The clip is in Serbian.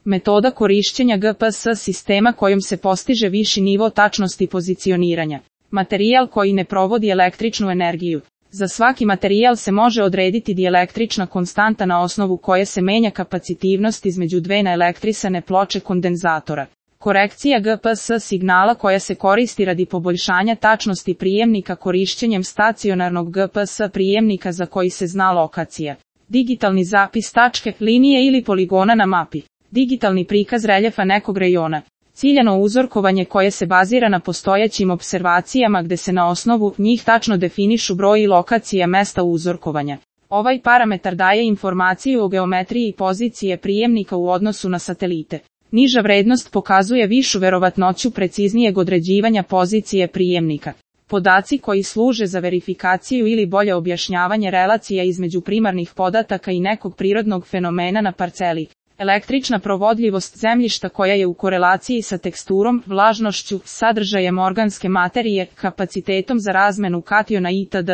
Metoda korišćenja GPS sistema kojom se postiže viši nivo tačnosti pozicioniranja. Materijal koji ne provodi električnu energiju. Za svaki materijal se može odrediti dielektrična konstanta na osnovu koje se menja kapacitivnost između dve naelektrisane ploče kondenzatora. Korekcija GPS signala koja se koristi radi poboljšanja tačnosti prijemnika korišćenjem stacionarnog GPS prijemnika za koji se zna lokacija. Digitalni zapis tačke, linije ili poligona na mapi. Digitalni prikaz reljefa nekog rejona. Ciljano uzorkovanje koje se bazira na postojećim opservacijama gde se na osnovu njih tačno definišu broj i lokacija mesta uzorkovanja. Ovaj parametar daje informaciju o geometriji pozicije prijemnika u odnosu na satelite. Niža vrednost pokazuje višu verovatnoću preciznijeg određivanja pozicije prijemnika. Podaci koji služe za verifikaciju ili bolje objašnjavanje relacija između primarnih podataka i nekog prirodnog fenomena na parceli. Električna provodljivost zemljišta koja je u korelaciji sa teksturom, vlažnošću, sadržajem organske materije, kapacitetom za razmenu kationa itd.